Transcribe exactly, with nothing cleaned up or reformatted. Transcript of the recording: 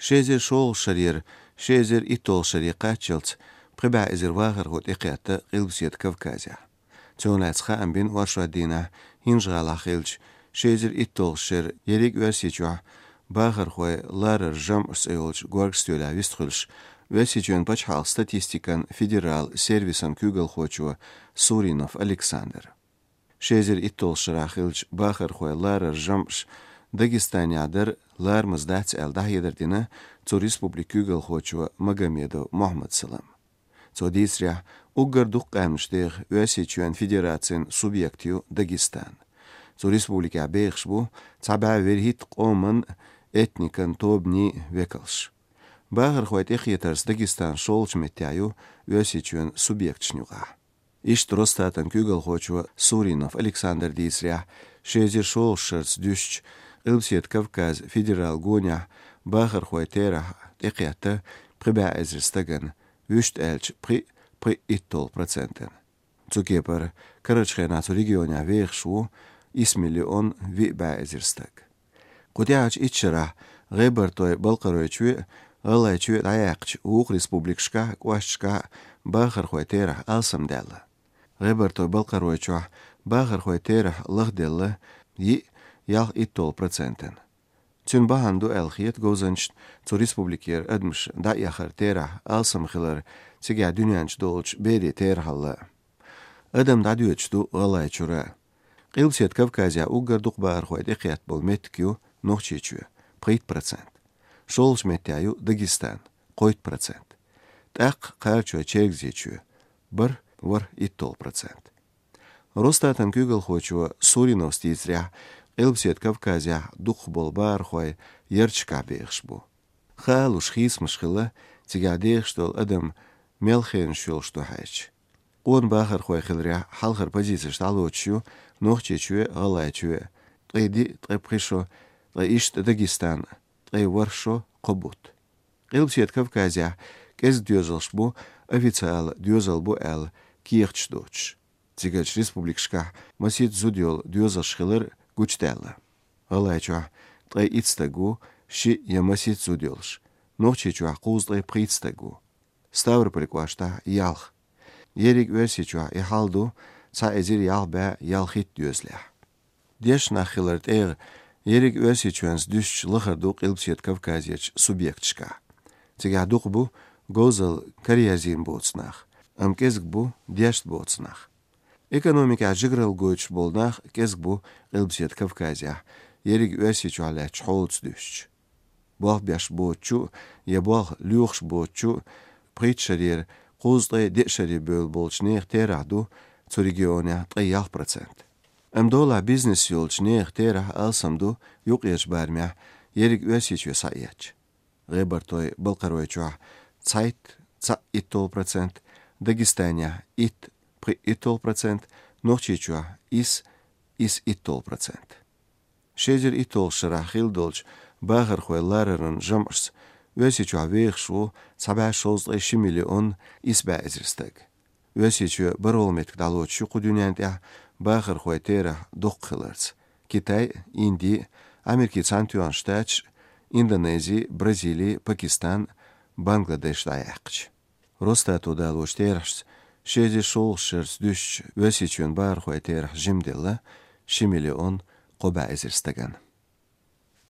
Ши эзар шолгӀачу шарера ши эзар итталгӀачу шаре кхаччалц пхи бӀе эзар вахархо тӀекхетта Къилбаседа Кавказехь. Цунах лаьцна хаам бина оршотдийнахь ХӀинжа-ГӀалахь хиллачу ши эзар итталгӀачу шеран ерриг Оьрсийчохь бахархой лараран жамӀаш цӀе йолчу горга стоьлехь вистхуьлуш, Оьрсийчоьнан пачхьалкхан статистикан федерал сервисан куьйгалхочо Суринов Александра. Ши эзар итталгӀачу шарахь хиллачу бахархой лараран жамӀаш Дагестанехь дар ларамаза дац аьлла дӀахьедар дина цу республикан куьйгалхочо Магомедов Мухьаммад-Салама. Цо дийцарехь, уггар дукха къаьмнаш деха Оьрсийчоьнан Федерацин субъект ю Дагестан. Цу республикехь бехаш бу цхьа бӀе вуьрхӀитта къоман, этникан тобанийн векалш. Бахархой тӀекхетарца Дагестан шолгӀачу меттехь ю Оьрсийчоьнан субъекташна юкъахь. Иштта Росстатан куьйгалхочо Суринов Александра дийцарехь, ши эзар шолгӀачу шарца дуьстича, Къилбаседа Кавказан федерал гонехь бахархой терахь тӀекхетта пхи бӀе эзар стагана, вуьшта аьлча пхи, пхи итталгӀа процентана. Цу кепара, карарчу хенахь цу регионехь вехаш ву исс миллион виъ бӀе эзар стаг. Кху тӀаьхьарчу итт шарахь ГӀебартойн-Балкхаройчоь а, ГӀалгӀайчоь а дӀаяьккхича, вукху республикашкахь а, кӀошташкахь а бахархой терахь алсамдаьлла. ГӀебартойн-Балкхаройчохь бахархой терахь лахделла йиъ, ялх итталгӀа процентана. Цуьнан бахьана ду аьлла хета говзанчашна цу республикера адамаш дӀаэхаран терахь алсам хилар, цигахь дуьнен чу долчу берийн терахьалла. Адам дӀадоьдуш ду ГӀалгӀайчуьра. Къилбаседа Кавказехь уггар дукха бахархой тӀекхетта болу меттиг ю Нохчийчоь, пхийтта процент. ШолгӀачу меттехь ю Дагестан, кхойтта процент. ТӀаккха Кхарачой-Чергазийчоь, бархӀ, ворхӀ итталгӀа процент. Росстатан куьйгалхочо Суриновс дийцарехь, Къилбаседа Кавказехь дукхахболу бахархой ярташкахь бехаш бу. Хаалуш хийцамаш хилла, цигахь дехаш долу адам мел хенаш йолуш ду хьаьжча. Къона бахархой хиларехь хьалхара позицеш дӀалоцуш ю Нохчийчоь а, ГӀалгӀайчоь а, ткъе диъ, ткъе пхи шо, ткъе иштта Дагестан, ткъе ворхӀ шо, кхо бутт. Къилбаседа Кавказехь кӀезиг доьзалш бу, официалан доьзал бу аьлла, кехаташ доцуш. Цигарчу республикашкахь масийтта зуда йолу доьзалш хилар гучудаьлла. ГӀалгӀайчохь ткъе итт стаг ву, шиъ я масийтта зуда йолуш. Нохчийчохь кхузткъе пхийтта стаг ву. Ставрополь кӀоштахь ялх. Ерриг Оьрсийчохь и хьал ду цхьа эзар ялх бӀе ялхитта доьзалехь. Дешна нах хиларан тӀегӀа ерриг Оьрсийчоьнца дуьстича лахара ду Къилбаседа Кавказерчу субъекташкахь. Цигахь дукха бу говзалла караерзийна боцу нах, амма кӀезиг бу дешна боцу нах. Экономикехь жигаралла гойтуш болу нах кӀезиг бу Къилбаседа Кавказехь, ерриг Оьрсийчохь лаьттачу хьолаца дуьстича. Болх беш боцучу я болх лоьхуш боцучу пхийтта шарера кхузткъе деа шаре бевлла болчу нехан терахь ду цу регионехь ткъе ялх процент. Амма долахь бизнес йолчу нехан терахь алсам ду юккъерчу барамехь, ерриг Оьрсийчоь схьаэцча. ГӀебартойн-Балкхаройчохь цхьайтта, цхьаъ итталгӀа процент, Дагестанехь итт, пхи итталгӀа процент, Нохчийчохь исс, исс итталгӀа процент. Ши эзар итталгӀачу шарахь хилла долчу бахархой лараран жамӀашца Оьрсийчохь вехаш ву цхьа бӀе шовзткъе ши миллион исс бӀе эзар стаг. Оьрсийчоь бархӀалгӀа меттиг дӀалоцуш ю кху дуьнен тӀехь бахархой терахь дукха хиларца: Китай, Инди, Америкин Цхьаьнатоьхна Штаташ, Индонези, Бразили, Пакистан, Бангладеш дӀаяьккхича. Росстато далочу терахьашца, ши эзар шолгӀачу шарца дуьстича, Оьрсийчоьнан бахархой терахь жимделла ши миллион кхо бӀе эзар стагана.